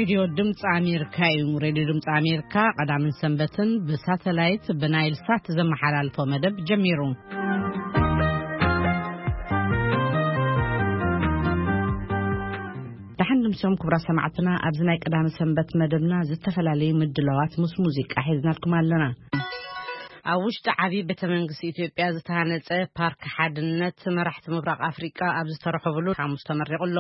ሬድዮ ድምፂ ኣሜሪካ እዩ። ሬድዮ ድምፂ ኣሜሪካ ቀዳምን ሰንበትን ብሳተላይት ብናይል ሳት ዘመሓላልፎ መደብ ጀሚሩ። ደሓን ድምሶም ክቡራት ሰማዕትና፣ ኣብዚ ናይ ቀዳሚ ሰንበት መደብና ዝተፈላለዩ ምድላዋት ምስ ሙዚቃ ሒዝናልኩም ኣለና። ኣብ ውሽጢ ዓብዪ ቤተ መንግስቲ ኢትዮጵያ ዝተሃነፀ ፓርክ ሓድነት መራሕቲ ምብራቕ ኣፍሪቃ ኣብ ዝተረኸብሉ ሓሙስ ተመሪቑ ኣሎ።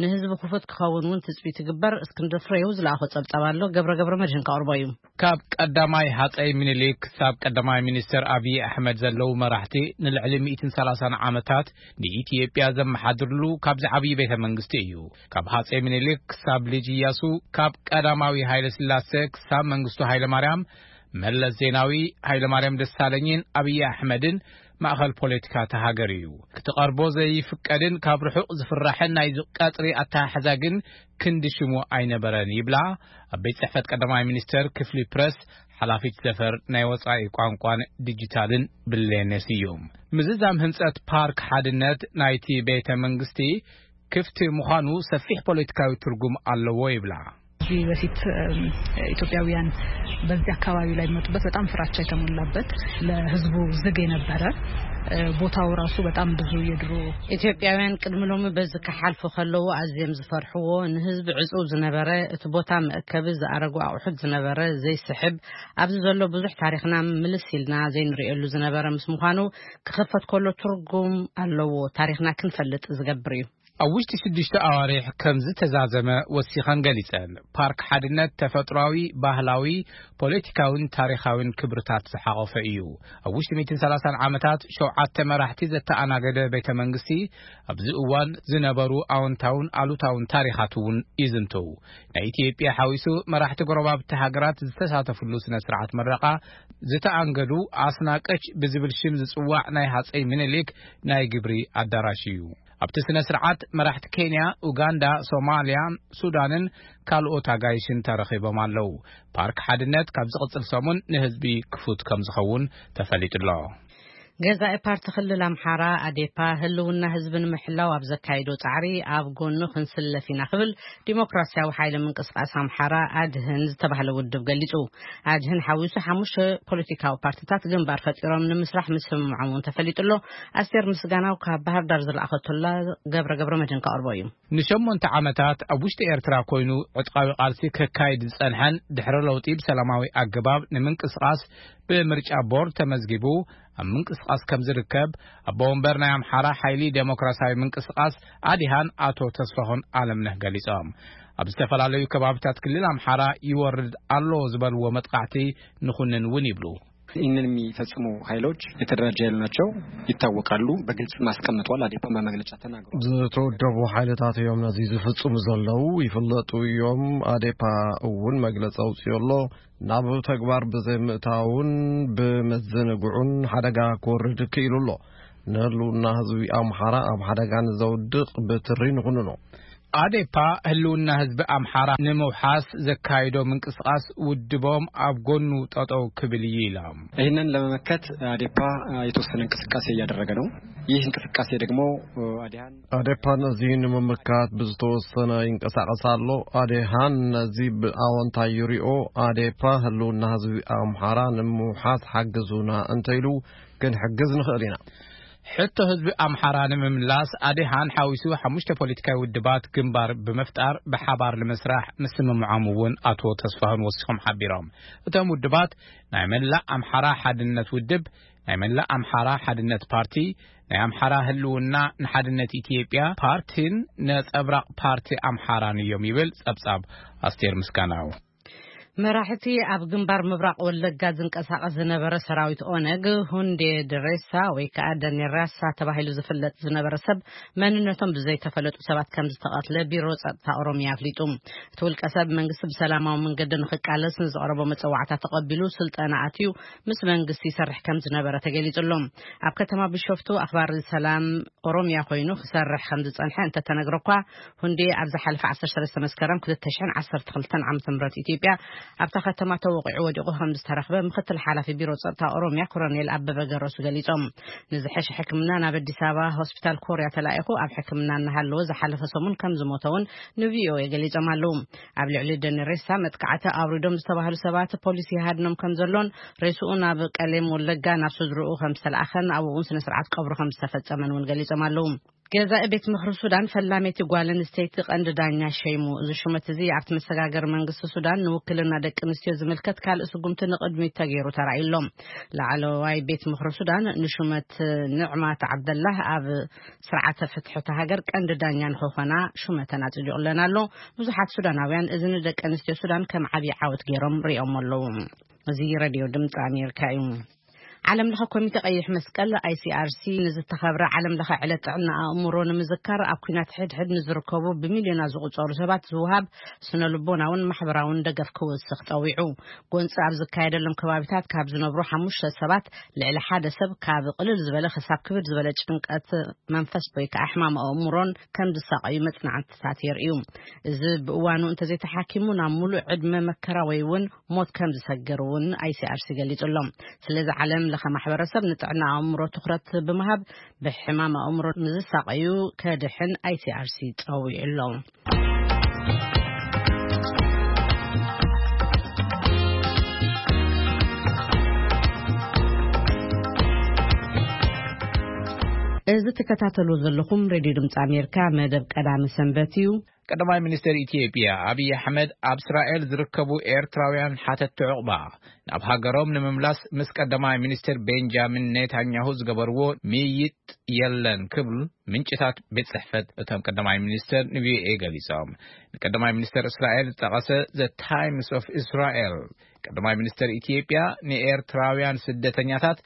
ንህዝቢ ክፉት ክኸውን እውን ትፅቢት ይግበር። እስክንድር ፍሬው ዝለኣኾ ጸብጻብ ኣሎ፣ ገብረ ገብረ መድህን ከቕርቦ እዩ። ካብ ቀዳማይ ሃጸይ ምኒልክ ክሳብ ቀዳማይ ሚኒስተር ኣብዪ ኣሕመድ ዘለዉ መራሕቲ ንልዕሊ ሚእትን ሰላሳን ዓመታት ንኢትዮጵያ ዘመሓድርሉ ካብዚ ዓብዪ ቤተ መንግስቲ እዩ። ካብ ሃጸይ ምኒልክ ክሳብ ልጅ እያሱ፣ ካብ ቀዳማዊ ሃይለ ስላሴ ክሳብ መንግስቱ ሃይለ ማርያም፣ መለስ ዜናዊ፣ ሃይለ ማርያም ደሳለኝን ኣብዪ ኣሕመድን ማእኸል ፖለቲካ እታ ሃገር እዩ። ክትቐርቦ ዘይፍቀድን ካብ ርሑቕ ዝፍራሕን ናይዚ ቀጽሪ ኣተሓሕዛ ግን ክንዲ ሽሙ ኣይነበረን ይብላ ኣብ ቤት ጽሕፈት ቀዳማይ ሚኒስተር ክፍሊ ፕረስ ሓላፊት ዘፈር ናይ ወጻኢ ቋንቋን ዲጂታልን ብሌነ ስዩም። ምዝዛም ህንጸት ፓርክ ሓድነት ናይቲ ቤተ መንግስቲ ክፍቲ ምዃኑ ሰፊሕ ፖለቲካዊ ትርጉም ኣለዎ ይብላ። ከዚህ በፊት እም፣ ኢትዮጵያውያን በዚህ አካባቢ ላይ የሚመጡበት በጣም ፍራቻ የተሞላበት፣ ለህዝቡ ዝግ የነበረ፣ እ፣ ቦታው ራሱ በጣም ብዙ የድሮ ኢትዮጵያውያን ቅድሚ ሎሚ በዚ ክሓልፉ ከለዉ ኣዝዮም ዝፈርሕዎ፣ ንህዝቢ ዕጹብ ዝነበረ፣ እቲ ቦታ መእከቢ ዝኣረጉ ኣቑሑት ዝነበረ፣ ዘይስሕብ፣ ኣብዚ ዘሎ ብዙሕ ታሪኽና ምልስ ኢልና ዘይንርእየሉ ዝነበረ ምስ ምዃኑ ክኽፈት ከሎ ትርጉም ኣለዎ። ታሪኽና ክንፈልጥ ዝገብር እዩ። ኣብ ውሽጢ ሽዱሽተ ኣዋርሕ ከም ዝተዛዘመ ወሲኸን ገሊጸን። ፓርክ ሓድነት ተፈጥሮኣዊ፣ ባህላዊ፣ ፖለቲካዊን ታሪኻዊን ክብርታት ዝሓቖፈ እዩ። ኣብ ውሽጢ ሚእትን ሰላሳን ዓመታት ሸውዓተ መራሕቲ ዘተኣናገደ ቤተ መንግስቲ ኣብዚ እዋን ዝነበሩ ኣወንታውን ኣሉታውን ታሪኻት እውን ይዝንቱ። ናይ ኢትዮጵያ ሓዊሱ መራሕቲ ጎረባብቲ ሃገራት ዝተሳተፍሉ ስነ ስርዓት መረቓ ዝተኣንገዱ ኣስናቀች ብዝብል ሽም ዝጽዋዕ ናይ ሃጸይ ምኒልክ ናይ ግብሪ ኣዳራሽ እዩ። ኣብቲ ስነ ስርዓት መራሕቲ ኬንያ፣ ኡጋንዳ፣ ሶማልያ፣ ሱዳንን ካልኦት ኣጋይሽን ተረኺቦም ኣለዉ። ፓርክ ሓድነት ካብ ዝቕጽል ሰሙን ንህዝቢ ክፉት ከም ዝኸውን ተፈሊጡ ኣሎ። ገዛኢ ፓርቲ ክልል ኣምሓራ ኣዴፓ ህልውና ህዝቢ ንምሕላው ኣብ ዘካይዶ ጻዕሪ ኣብ ጎኑ ክንስለፍ ኢና ክብል ዲሞክራሲያዊ ሓይሊ ምንቅስቃስ ኣምሓራ ኣድህን ዝተባህለ ውድብ ገሊጹ። ኣድህን ሓዊሱ ሓሙሽተ ፖለቲካዊ ፓርቲታት ግንባር ፈጢሮም ንምስራሕ ምስምምዖም እውን ተፈሊጡ ኣሎ። ኣስቴር ምስጋናው ካብ ባህር ዳር ዝለኣኸቶላ ገብረ ገብረ መድህን ከቕርቦ እዩ። ንሸሞንተ ዓመታት ኣብ ውሽጢ ኤርትራ ኮይኑ ዕጥቃዊ ቃልሲ ከካይድ ዝጸንሐን ድሕሪ ለውጢ ብሰላማዊ ኣገባብ ንምንቅስቃስ ብምርጫ ቦርድ ተመዝጊቡ ኣብ ምንቅስቃስ ከም ዝርከብ ኣቦ ወንበር ናይ ኣምሓራ ሓይሊ ዴሞክራሲያዊ ምንቅስቃስ ኣዲሃን ኣቶ ተስፋሁን ኣለምነህ ገሊጾም። ኣብ ዝተፈላለዩ ከባብታት ክልል ኣምሓራ ይወርድ ኣሎ ዝበልዎ መጥቃዕቲ ንኹንን እውን ይብሉ። ይህንን የሚፈጽሙ ኃይሎች የተደራጀ ኃይል ናቸው፣ ይታወቃሉ፣ በግልጽ ማስቀምጠዋል። አዴፓ በመግለጫ ተናግሯል። ዝተወደቡ ሓይልታት እዮም ነዚ ዝፍጽሙ ዘለዉ፣ ይፍለጡ እዮም። ኣዴፓ እውን መግለጺ ኣውጺኡ ኣሎ። ናብ ተግባር ብዘይምእታውን ብምዝንግዑን ሓደጋ ክወርድ ክኢሉ ኣሎ። ንህልውና ህዝቢ ኣምሓራ ኣብ ሓደጋ ንዘውድቕ ብትሪ ንኹንኖ። ኣዴፓ ህልውና ህዝቢ ኣምሓራ ንምውሓስ ዘካይዶ ምንቅስቃስ ውድቦም ኣብ ጎኑ ጠጠው ክብል እዩ ኢሎም። ይህንን ለመመከት አዴፓ የተወሰነ እንቅስቃሴ እያደረገ ነው። ይህ እንቅስቃሴ ደግሞ አዲሃን አዴፓ ነዚ ንምምካት ብዝተወሰነ ይንቀሳቀስ ኣሎ። ኣዴሃን ነዚ ብኣወንታ ይሪኦ። ኣዴፓ ህልውና ህዝቢ ኣምሓራ ንምውሓስ ሓግዙና እንተኢሉ ክንሕግዝ ንኽእል ኢና። ሕቶ ህዝቢ ኣምሓራ ንምምላስ ኣዴሃን ሓዊሱ ሓሙሽተ ፖለቲካዊ ውድባት ግንባር ብምፍጣር ብሓባር ንምስራሕ ምስምምዖም እውን ኣቶ ተስፋሁን ወሲኾም ሓቢሮም። እቶም ውድባት ናይ መላእ ኣምሓራ ሓድነት ውድብ፣ ናይ መላእ ኣምሓራ ሓድነት ፓርቲ፣ ናይ ኣምሓራ ህልውና ንሓድነት ኢትዮጵያ ፓርቲን ነጸብራቕ ፓርቲ ኣምሓራን እዮም ይብል ጸብጻብ ኣስቴር ምስጋናው። መራሕቲ ኣብ ግንባር ምብራቕ ወለጋ ዝንቀሳቐስ ዝነበረ ሰራዊት ኦነግ፣ ሁንዴ ድሬሳ ወይ ከዓ ደኔራሳ ተባሂሉ ዝፍለጥ ዝነበረ ሰብ መንነቶም ብዘይተፈለጡ ሰባት ከም ዝተቐትለ ቢሮ ጸጥታ ኦሮሚያ ኣፍሊጡ። እቲ ውልቀ ሰብ መንግስቲ ብሰላማዊ መንገዲ ንኽቃለስ ንዝቐረቦ መጸዋዕታ ተቐቢሉ ስልጠና ኣትዩ ምስ መንግስቲ ይሰርሕ ከም ዝነበረ ተገሊጹ ኣሎ። ኣብ ከተማ ቢሾፍቱ ኣኽባሪ ሰላም ኦሮሚያ ኮይኑ ክሰርሕ ከም ዝጸንሐ እንተተነግረ እኳ፣ ሁንዴ ኣብ ዝሓለፈ ዓሰርተ ሰለስተ መስከረም ክልተ ሽሕን ዓሰርተ ክልተን ዓመተ ምህረት ኢትዮጵያ ኣብታ ከተማ ተወቂዑ ወዲቑ ከም ዝተረኽበ ምክትል ሓላፊ ቢሮ ጸጥታ ኦሮምያ ኮሎኔል ኣበበ ገረሱ ገሊጾም። ንዝሐሸ ሕክምና ናብ ኣዲስ ኣበባ ሆስፒታል ኮርያ ተላኢኹ ኣብ ሕክምና እናሃለወ ዝሓለፈ ሰሙን ከም ዝሞተ እውን ንቪኦኤ ገሊጾም ኣለዉ። ኣብ ልዕሊ ደኒ ሬሳ መጥቃዕቲ ኣውሪዶም ዝተባህሉ ሰባት ፖሊስ ይሃድኖም ከም ዘሎን ሬስኡ ናብ ቀሌም ወለጋ ናብ ስድርኡ ከም ዝተለኣኸን ኣብኡ እውን ስነ ስርዓት ቀብሩ ከም ዝተፈጸመን እውን ገሊጾም ኣለዉ። ገዛኢ ቤት ምኽሪ ሱዳን ፈላመይቲ ጓል ኣንስተይቲ ቀንዲ ዳኛ ሸይሙ። እዚ ሹመት እዚ ኣብቲ መሰጋገሪ መንግስቲ ሱዳን ንውክልና ደቂ ኣንስትዮ ዝምልከት ካልእ ስጉምቲ ንቕድሚት ተገይሩ ተራእዩ ኣሎ። ላዕለዋይ ቤት ምኽሪ ሱዳን ንሹመት ንዕማት ዓብደላህ ኣብ ስርዓተ ፍትሒ እታ ሃገር ቀንዲ ዳኛ ንክኾና ሹመተን ኣጽዲቑለን ኣሎ። ብዙሓት ሱዳናውያን እዚ ንደቂ ኣንስትዮ ሱዳን ከም ዓብዪ ዓወት ገይሮም ሪኦም ኣለዉ። እዚ ሬድዮ ድምፂ ኣሜሪካ እዩ። ዓለም ለኸ ኮሚቴ ቀይሕ መስቀል፣ ኣይሲኣርሲ፣ ንዝተኸብረ ዓለም ለኸ ዕለት ጥዕና ኣእምሮ ንምዝካር ኣብ ኲናት ሕድሕድ ንዝርከቡ ብሚልዮናት ዝቑጸሩ ሰባት ዝውሃብ ስነ ልቦናውን ማሕበራውን ደገፍ ክውስኽ ጸዊዑ። ጎንፂ ኣብ ዝካየደሎም ከባቢታት ካብ ዝነብሩ ሓሙሽተ ሰባት ልዕሊ ሓደ ሰብ ካብ ቅልል ዝበለ ክሳብ ክብድ ዝበለ ጭንቀት መንፈስ ወይ ከዓ ሕማም ኣእምሮን ከም ዝሳቐዩ መጽናዕትታት የርእዩ። እዚ ብእዋኑ እንተዘይተሓኪሙ ናብ ሙሉእ ዕድመ መከራ ወይ እውን ሞት ከም ዝሰግር እውን ኣይሲኣርሲ ገሊጹ ኣሎ። ስለዚ ዓለም ለኸ ማሕበረሰብ ንጥዕና ኣእምሮ ትኹረት ብምሃብ ብሕማም ኣእምሮ ንዝሳቐዩ ከድሕን ኣይሲኣርሲ ጸዊዑ ኣሎ። እዚ ትከታተሉ ዘለኹም ሬድዮ ድምፂ ኣሜሪካ መደብ ቀዳሚ ሰንበት እዩ። ቀዳማይ ሚኒስትር ኢትዮጵያ ኣብይ ኣሕመድ ኣብ እስራኤል ዝርከቡ ኤርትራውያን ሓተቲ ዕቑባ ናብ ሃገሮም ንምምላስ ምስ ቀዳማይ ሚኒስትር ቤንጃሚን ኔታንያሁ ዝገበርዎ ምይይጥ የለን ክብል ምንጭታት ቤት ጽሕፈት እቶም ቀዳማይ ሚኒስትር ንቪኦኤ ገሊጾም። ንቀዳማይ ሚኒስትር እስራኤል ዝጠቐሰ ዘ ታይምስ ኦፍ እስራኤል፣ ቀዳማይ ሚኒስትር ኢትዮጵያ ንኤርትራውያን ስደተኛታት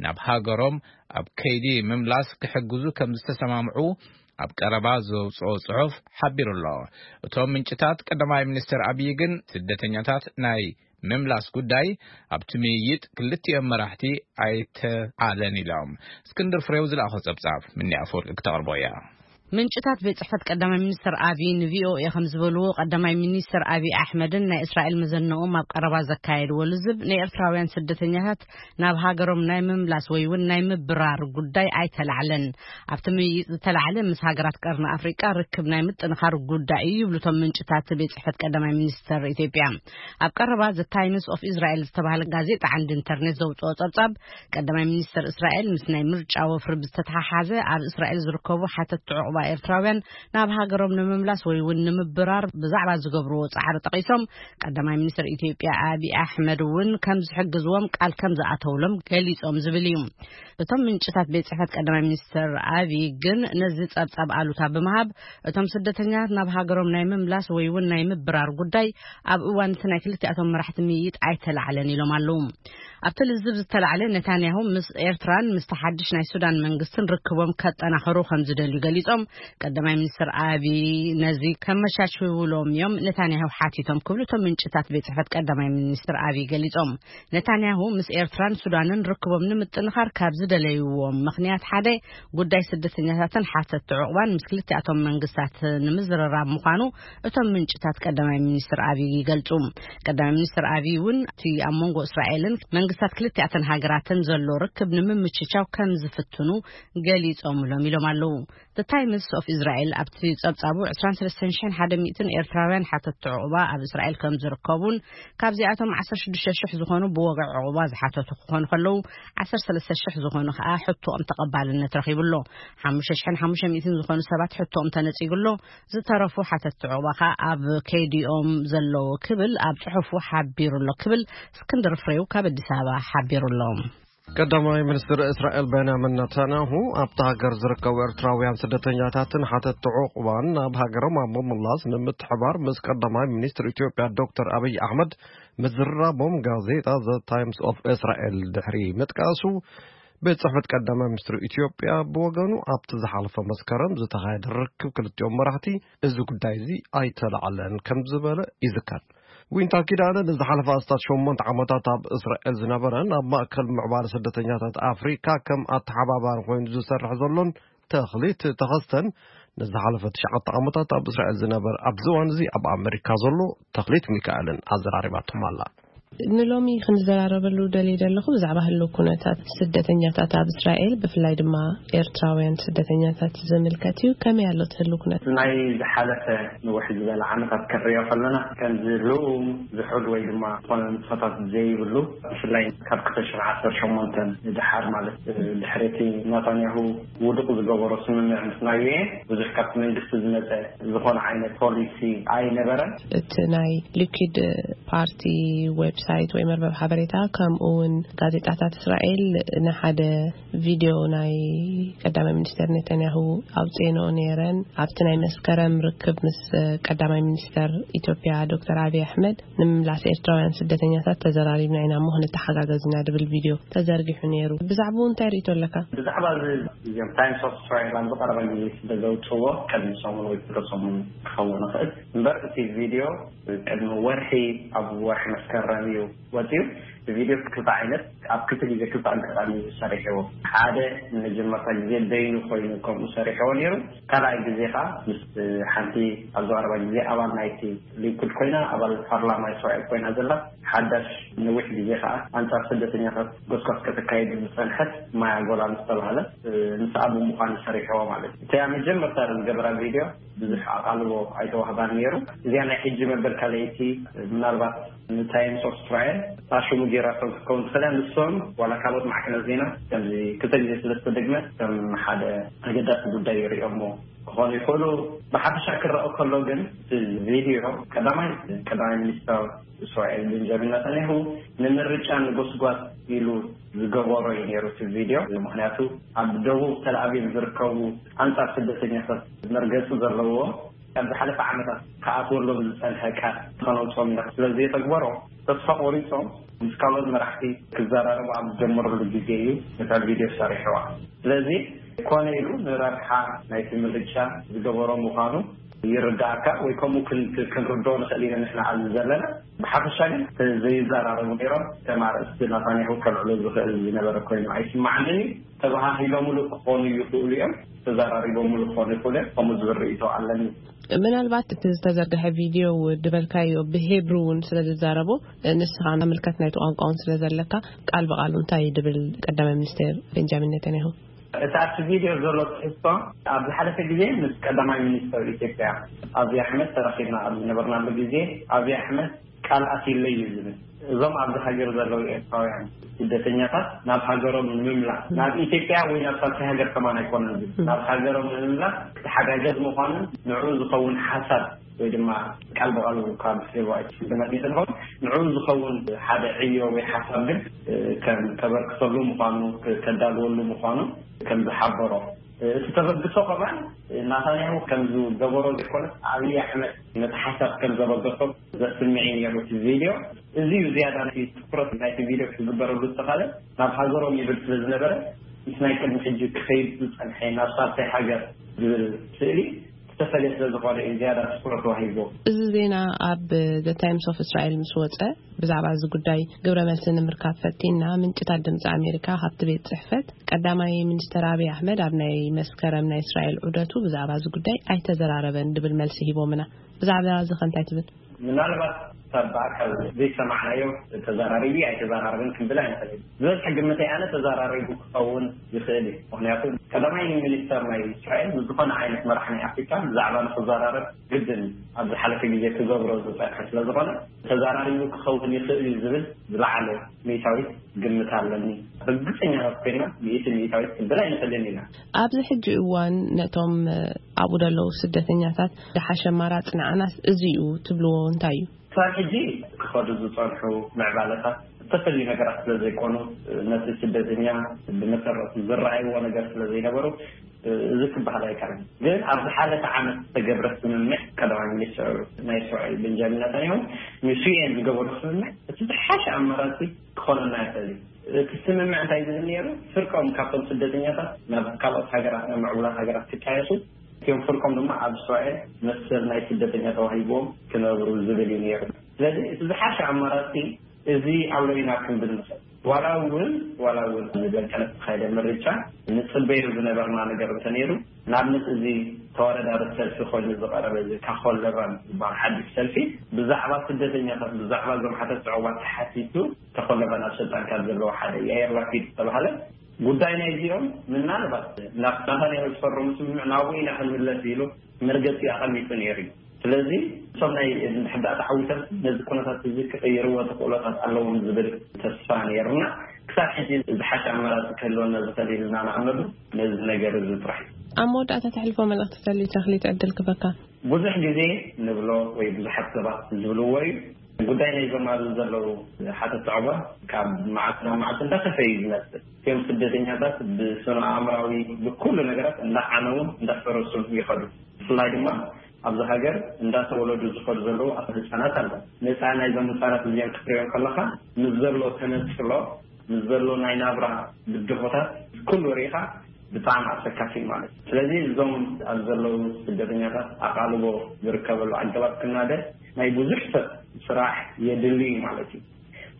ናብ ሃገሮም ኣብ ከይዲ ምምላስ ክሕግዙ ከም ዝተሰማምዑ ኣብ ቀረባ ዘውፅኦ ጽሑፍ ሓቢሩ ኣሎ። እቶም ምንጭታት ቀዳማይ ሚኒስትር ኣብይ ግን ስደተኛታት ናይ ምምላስ ጉዳይ ኣብቲ ምይይጥ ክልቲኦም መራሕቲ ኣይተዓለን ኢሎም። እስክንድር ፍሬው ዝለኣኾ ጸብጻብ ምኒ ኣፈወርቂ ክተቕርቦ እያ። ምንጭታት ቤት ጽሕፈት ቀዳማይ ሚኒስትር ኣብይ ንቪኦኤ ከም ዝበልዎ ቀዳማይ ሚኒስትር ኣብይ ኣሕመድን ናይ እስራኤል መዘነኦም ኣብ ቀረባ ዘካየድዎ ልዝብ ንኤርትራውያን ስደተኛታት ናብ ሃገሮም ናይ ምምላስ ወይ እውን ናይ ምብራር ጉዳይ ኣይተላዕለን። ኣብቲ ምይይጥ ዝተላዕለ ምስ ሃገራት ቀርኒ ኣፍሪቃ ርክብ ናይ ምጥንኻር ጉዳይ እዩ ይብሉ እቶም ምንጭታት ቤት ጽሕፈት ቀዳማይ ሚኒስትር ኢትዮጵያ። ኣብ ቀረባ ዘ ታይምስ ኦፍ እስራኤል ዝተባህለ ጋዜጣ ዓንዲ ኢንተርኔት ዘውፅኦ ጸብጻብ ቀዳማይ ሚኒስትር እስራኤል ምስ ናይ ምርጫ ወፍሪ ብዝተተሓሓዘ ኣብ እስራኤል ዝርከቡ ሓተቲ ዕቑባ ኤርትራውያን ናብ ሃገሮም ንምምላስ ወይ እውን ንምብራር ብዛዕባ ዝገብርዎ ጻዕሪ ጠቒሶም ቀዳማይ ሚኒስትር ኢትዮጵያ ኣብይ ኣሕመድ እውን ከም ዝሕግዝዎም ቃል ከም ዝኣተውሎም ገሊጾም ዝብል እዩ። እቶም ምንጭታት ቤት ጽሕፈት ቀዳማይ ሚኒስትር ኣብይ ግን ነዚ ጸብጻብ ኣሉታ ብምሃብ እቶም ስደተኛታት ናብ ሃገሮም ናይ ምምላስ ወይ እውን ናይ ምብራር ጉዳይ ኣብ እዋን እቲ ናይ ክልቲኣቶም መራሕቲ ምይይጥ ኣይተላዕለን ኢሎም ኣለዉ። ኣብቲ ልዝብ ዝተላዕለ ነታንያሁ ምስ ኤርትራን ምስቲ ሓድሽ ናይ ሱዳን መንግስትን ርክቦም ከጠናኸሩ ከም ዝደልዩ ገሊጾም ቀዳማይ ሚኒስትር ኣብይ ነዚ ከመቻችውሎም እዮም ነታንያሁ ሓቲቶም ክብሉ እቶም ምንጭታት ቤት ጽሕፈት ቀዳማይ ሚኒስትር ኣብይ ገሊጾም። ነታንያሁ ምስ ኤርትራን ሱዳንን ርክቦም ንምጥንኻር ካብ ዝደለይዎም ምኽንያት ሓደ ጉዳይ ስደተኛታትን ሓተቲ ዕቑባን ምስ ክልቲኣቶም መንግስታት ንምዝርራብ ምዃኑ እቶም ምንጭታት ቀዳማይ ሚኒስትር ኣብይ ይገልጹ። ቀዳማይ ሚኒስትር ኣብይ እውን እቲ ኣብ መንጎ እስራኤልን መንግስታት ክልቲኣተን ሃገራትን ዘሎ ርክብ ንምምችቻው ከም ዝፍትኑ ገሊጾምሎም ኢሎም ኣለዉ። The Times of Israel ኣብቲ ጸብጻቡ ዕስራን ሰለስተን ሽሕን ሓደ ሚእትን ኤርትራውያን ሓተቲ ዕቑባ ኣብ እስራኤል ከም ዝርከቡን ካብዚኣቶም ዓሰርተ ሽዱሽተ ሽሕ ዝኾኑ ብወግዒ ዕቑባ ዝሓተቱ ክኾኑ ከለዉ ዓሰርተ ሰለስተ ሽሕ ዝኾኑ ከኣ ሕቶኦም ተቐባልነት ረኺቡ ኣሎ። ሓሙሽተ ሽሕን ሓሙሽተ ሚእትን ዝኾኑ ሰባት ሕቶኦም ተነጺጉ ኣሎ። ዝተረፉ ሓተቲ ዕቑባ ከኣ ኣብ ከይዲኦም ዘለዉ ክብል ኣብ ጽሑፉ ሓቢሩ ኣሎ ክብል እስክንድር ፍሬው ካብ ኣዲስ ኣበባ ሓቢሩ ኣሎ። ቀዳማይ ሚኒስትር እስራኤል ቤንያሚን ነታንያሁ ኣብታ ሃገር ዝርከቡ ኤርትራውያን ስደተኛታትን ሓተቲ ዕቑባን ናብ ሃገሮም ኣብ ምምላስ ንምትሕባር ምስ ቀዳማይ ሚኒስትር ኢትዮጵያ ዶክተር ኣብይ ኣሕመድ ምዝራቦም ጋዜጣ ዘ ታይምስ ኦፍ እስራኤል ድሕሪ ምጥቃሱ፣ ቤት ጽሕፈት ቀዳማይ ሚኒስትር ኢትዮጵያ ብወገኑ ኣብቲ ዝሓለፈ መስከረም ዝተኻየደ ርክብ ክልቲኦም መራሕቲ እዚ ጉዳይ እዚ ኣይተላዕለን ከም ዝበለ ይዝከር። ዊንታ ኪዳነ ንዝሓለፈ ኣስታት ሸሞንተ ዓመታት ኣብ እስራኤል ዝነበረን ኣብ ማእከል ምዕባለ ስደተኛታት ኣፍሪካ ከም ኣተሓባባሪ ኮይኑ ዝሰርሕ ዘሎን ተኽሊት ተኸስተን ንዝሓለፈ ትሽዓተ ዓመታት ኣብ እስራኤል ዝነበር፣ ኣብዚ እዋን እዚ ኣብ ኣመሪካ ዘሎ ተኽሊት ሚካኤልን ኣዘራሪባቶም ኣላ። ንሎሚ ክንዘራረበሉ ደልየ ዘለኹ ብዛዕባ ህልው ኩነታት ስደተኛታት ኣብ እስራኤል፣ ብፍላይ ድማ ኤርትራውያን ስደተኛታት ዝምልከት እዩ። ከመይ ኣሎ እቲ ህልው ኩነት? ናይ ዝሓለፈ ንውሕ ዝበለ ዓመታት ክንሪኦ ከለና፣ ከምዚ ልኡም ዝሑል ወይ ድማ ዝኾነ ንጥፈታት ዘይብሉ፣ ብፍላይ ካብ ክልተ ሽሕን ዓሰርተ ሸሞንተን ንድሓር፣ ማለት ድሕሪ እቲ ናታንያሁ ውዱቕ ዝገበሮ ስምምዕ ምስ ናይ ዩ ኤን፣ ብዙሕ ካብቲ መንግስቲ ዝመፀ ዝኾነ ዓይነት ፖሊሲ ኣይነበረን። እቲ ናይ ሊኩድ ፓርቲ ዌብሳይት ወይ መርበብ ሓበሬታ፣ ከምኡ እውን ጋዜጣታት እስራኤል ንሓደ ቪድዮ ናይ ቀዳማይ ሚኒስተር ኔታንያሁ ኣውፅኤንኦ ነይረን። ኣብቲ ናይ መስከረም ርክብ ምስ ቀዳማይ ሚኒስተር ኢትዮጵያ ዶክተር ኣብይ ኣሕመድ፣ ንምምላስ ኤርትራውያን ስደተኛታት ተዘራሪብና ኢና እሞ ክንተሓጋገዝ ኢና ድብል ቪድዮ ተዘርጊሑ ነይሩ። ብዛዕባኡ እንታይ ርእይቶ ኣለካ? ብዛዕባ እዚ እዚኦም ታይምስ ኦፍ እስራኤል ኣብ ዝቐረበ ግዜ ስለ ዘውፅዎ፣ ቅድሚ ሰሙን ወይ ክልተ ሰሙን ክኸውን ይኽእል እምበር፣ እቲ ቪድዮ ቅድሚ ወርሒ፣ ኣብ ወርሒ መስከረም እዩ ወፂኡ። እቲ ቪድዮ ክልተ ዓይነት፣ ኣብ ክልተ ግዜ ክልተ ኣጋጣሚ እዩ ሰሪሕዎ። ሓደ ንመጀመርታ ግዜ በይኑ ኮይኑ ከምኡ ሰሪሕዎ ነይሩ። ካልኣይ ግዜ ከዓ ምስ ሓንቲ ኣብ ዝቐረባ ግዜ ኣባል ናይቲ ሊኩድ ኮይና፣ ኣባል ፓርላማ እስራኤል ኮይና ዘላ፣ ሓዳሽ ነዊሕ ግዜ ከዓ ኣንጻር ስደተኛታት ጎስጓስ ከተካይድ ዝጸንሐት ማያ ጎላን ዝተባህለት፣ እ፣ ምስኣ ብምዃን ሰሪሕዎ ማለት እዩ። እቲኣ መጀመርታ ዝገበራ ቪድዮ ብዙሕ ኣቓልቦ ኣይተዋህባን ነይሩ። እዚኣ ናይ ሕጂ መበል ካልኣይቲ፣ ምናልባት ንታይምስ ኦፍ እስራኤል እታ ሽሙ ጌራቶም ክትከውን ትኽእል እያ። ንሶም ዋላ ካልኦት ማዕከናት ዜና ከምዚ ክልተ ግዜ ስለ ዝተደግመ ከም ሓደ ኣገዳሲ ጉዳይ ይርእዮሞ ክኾኑ ይኽእሉ። ብሓፈሻ ክረኣ ከሎ ግን፣ እቲ ቪድዮ ቀዳማይ ቀዳማይ ሚኒስተር እስራኤል ቤንጃሚን ናታንያሁ ንምርጫ ንጎስጓስ ኢሉ ዝገበሮ እዩ ነይሩ እቲ ቪድዮ። ምኽንያቱ ኣብ ደቡብ ተልኣቪቭ ዝርከቡ ኣንጻር ስደተኛታት መርገጺ ዘለዎ፣ ኣብ ዝሓለፈ ዓመታት ክኣትወሎም ዝጸንሐ ቃል ከነውጽኦም ኢና ስለ ዘየተግበሮ፣ ተስፋ ቆሪጾም ምስ ካልኦት መራሕቲ ክዘራረቡ ኣብ ዝጀመሩሉ ግዜ እዩ ነታ ቪድዮ ሰሪሕዋ። ስለዚ ኮነ ኢሉ ንረብሓ ናይቲ ምርጫ ዝገበሮ ምዃኑ ይርዳእካ፣ ወይ ከምኡ ክን- ክንርድኦ ንኽእል ኢና ንሕና ኣብዚ ዘለና። ብሓፈሻ ግን ዘይዘራረቡ ነይሮም። ከም ኣርእስቲ ናታንያሁ ከልዕሎ ዝኽእል ዝነበረ ኮይኑ ኣይስማዓንን እዩ። ተበሃሂሎምሉ ክኾኑ ይኽእሉ እዮም፣ ተዘራሪቦምሉ ክኾኑ ይኽእሉ እዮም። ከምኡ ዝብል ርእይቶ ኣለኒ። ምናልባት እቲ ዝተዘርግሐ ቪድዮ ድበልካዮ ብሄብሩ እውን ስለ ዝዛረቡ፣ ንስኻ ምልከት ናይቲ ቋንቋ እውን ስለ ዘለካ፣ ቃል ብቃሉ እንታይ ድብል ቀዳማይ ሚኒስቴር ቤንጃሚን ኔታንያሁ? እቲ ኣብቲ ቪድዮ ዘሎ ትሕዝቶ፣ ኣብ ዝሓለፈ ግዜ ምስ ቀዳማይ ሚኒስተር ኢትዮጵያ ኣብይ ኣሕመድ ተራኺብና ኣብ ዝነበርናሉ ግዜ፣ ኣብይ ኣሕመድ ቃል ኣትዩለይ እዩ ዝብል። እዞም ኣብዚ ሃገር ዘለዉ ኤርትራውያን ስደተኛታት ናብ ሃገሮም ንምምላስ፣ ናብ ኢትዮጵያ ወይ ናብ ሳልሳይ ሃገር ከማን ኣይኮነን ዝብል፣ ናብ ሃገሮም ንምምላስ ተሓጋገዝ ምዃኑን ንዕኡ ዝኸውን ሓሳብ ወይ ድማ ቃል ብቃል ካብ ስሌባ ኣይትስልመት ይትንኸውን ንዕኡ ዝኸውን ሓደ ዕዮ ወይ ሓሳብ ግን ከም ተበርክተሉ ምዃኑ፣ ከዳልወሉ ምዃኑ ከም ዝሓበሮ፣ እቲ ተበግሶ ከማን ናታንያሁ ከም ዝገበሮ ዘይኮነስ ኣብይ ኣሕመድ ነቲ ሓሳብ ከም ዘበገሶ ዘስምዕ እዩ ነይሩ እቲ ቪድዮ። እዚ እዩ ዝያዳ ናይቲ ትኩረት ናይቲ ቪድዮ ክዝበረሉ ዝተኻለ። ናብ ሃገሮም ይብል ስለ ዝነበረ፣ ምስ ናይ ቅድሚ ሕጂ ክኸይድ ዝጸንሐ ናብ ሳልሳይ ሃገር ዝብል ስእሊ ዝተፈልየ ስለ ዝኾነ እዩ ዝያዳ ትኩረት ተዋሂብዎ። እዚ ዜና ኣብ The Times of Israel ምስ ወጸ፣ ብዛዕባ እዚ ጉዳይ ግብረ መልሲ ንምርካብ ፈቲንና፣ ምንጭታት ድምፂ ኣሜሪካ ካብቲ ቤት ጽሕፈት ቀዳማይ ሚኒስተር ኣብይ ኣሕመድ ኣብ ናይ መስከረም ናይ እስራኤል ዑደቱ ብዛዕባ እዚ ጉዳይ ኣይተዘራረበን ድብል መልሲ ሂቦምና። ብዛዕባ እዚ ከ እንታይ ትብል? ምናልባት ካብ ብኣካል ዘይሰማዕናዮ ተዘራሪቡ ኣይተዘራረበን ክንብል ኣይንኽእል። ዝበዝሐ ግምተይ ኣነ ተዘራሪቡ ክኸውን ይኽእል እዩ። ምኽንያቱ ቀዳማይ ሚኒስተር ናይ እስራኤል ምስ ዝኾነ ዓይነት መራሕ ናይ ኣፍሪካ ብዛዕባ ንክዘራረብ ግድን ኣብ ዝሓለፈ ግዜ ክገብሮ ዝፀንሐ ስለ ዝኾነ ተዘራሪቡ ክኸውን ይኽእል እዩ ዝብል ዝለዓለ ሚእታዊት ግምት ኣለኒ። ርግፀኛታት ኮይና ሚእቲ ሚእታዊት ክንብል ኣይንኽእልን ኢና። ኣብዚ ሕጂ እዋን ነቶም ኣብኡ ዘለዉ ስደተኛታት ዝሓሸ ኣማራፂ ንዓናስ እዚ እዩ ትብልዎ እንታይ እዩ? ክሳብ ሕጂ ክኸዱ ዝፀንሑ ምዕባለታት ዝተፈላለዩ ነገራት ስለ ዘይኮኑ፣ ነቲ ስደተኛ ብመሰረቱ ዝረኣይዎ ነገር ስለ ዘይነበሩ፣ እዚ ክበሃል ኣይከኣልን። ግን ኣብ ዝሓለፈ ዓመት ዝተገብረ ስምምዕ ቀዳማይ ሚኒስትር ናይ እስራኤል ቤንጃሚን ናታንያሁ ምስ ዩ ኤን ዝገበሮ ስምምዕ እቲ ዝሓሸ ኣማራፂ ክኾነና ይኽእል እዩ። እቲ ስምምዕ እንታይ ዝብል ነይሩ? ፍርቆም ካብቶም ስደተኛታት ናብ ካልኦት ሃገራት፣ ናብ ምዕቡላት ሃገራት ክጣየሱ፣ እቲኦም ፍርቆም ድማ ኣብ እስራኤል መሰል ናይ ስደተኛ ተዋሂብዎም ክነብሩ ዝብል እዩ ነይሩ። ስለዚ እቲ ዝሓሸ ኣማራፂ እዚ ኣሎ ኢና ክንብል ንኽእል። ዋላ እውን ዋላ እውን ብመንቀለ ዝተኻየደ ምርጫ ንፅበዮ ዝነበርና ነገር እንተነይሩ፣ ንኣብነት እዚ ተወዳዳሪ ሰልፊ ኮይኑ ዝቐረበ እዚ ካኾለቫን ዝበሃል ሓድሽ ሰልፊ ብዛዕባ ስደተኛታት፣ ብዛዕባ እዞም ሓተት ዕቑባ ተሓቲቱ፣ ተኾለቫን ኣብ ስልጣን ካብ ዘለዉ ሓደ ያየር ላፒድ ዝተባሃለ ጉዳይ ናይ እዚኦም ምናልባት ናብ ናታንያሁ ዝፈረሙ ስምምዕ ናብኡ ኢና ክንምለስ ኢሉ መርገፂ ኣቐሚጡ ነይሩ እዩ። ስለዚ እቶም ናይ ሕዳእ ተዓዊቶም ነዚ ኩነታት እዚ ክቕይርዎ ተኽእሎታት ኣለዎም ዝብል ተስፋ ነይርና። ክሳብ ሕጂ ዝሓሸ ኣማራፂ ክህልወና ዝኽእል ኢልና ንኣመሉ ነዚ ነገር እዚ ጥራሕ እዩ። ኣብ መወዳእታ ተሕልፎ መልእኽቲ ተልዩ ተኽሊት ዕድል ክበካ። ብዙሕ ግዜ ንብሎ ወይ ብዙሓት ሰባት ዝብልዎ እዩ። ጉዳይ ናይዞም ኣብዚ ዘለዉ ሓተት ዕቑባ ካብ መዓልቲ ናብ መዓልቲ እንዳኸፈ እዩ ዝመፅእ። እቶም ስደተኛታት ብስነ ኣእምራዊ ብኩሉ ነገራት እንዳዓነውን እንዳፈረሱን ይኸዱ። ብፍላይ ድማ ኣብዚ ሃገር እንዳተወለዱ ዝኸዱ ዘለዉ ኣቶ ህፃናት ኣለዉ። ነፃ ናይዞም ህፃናት እዚኦም ክትሪኦም ከለኻ ምስ ዘሎ ተነፅሎ፣ ምስ ዘሎ ናይ ናብራ ብድሆታት ኩሉ ርኢኻ ብጣዕሚ ኣሰካፊ እዩ ማለት እዩ። ስለዚ እዞም ኣብ ዘለዉ ስደተኛታት ኣቓልቦ ዝርከበሉ ኣገባብ ክናደ ናይ ብዙሕ ሰብ ስራሕ የድሊ እዩ ማለት እዩ።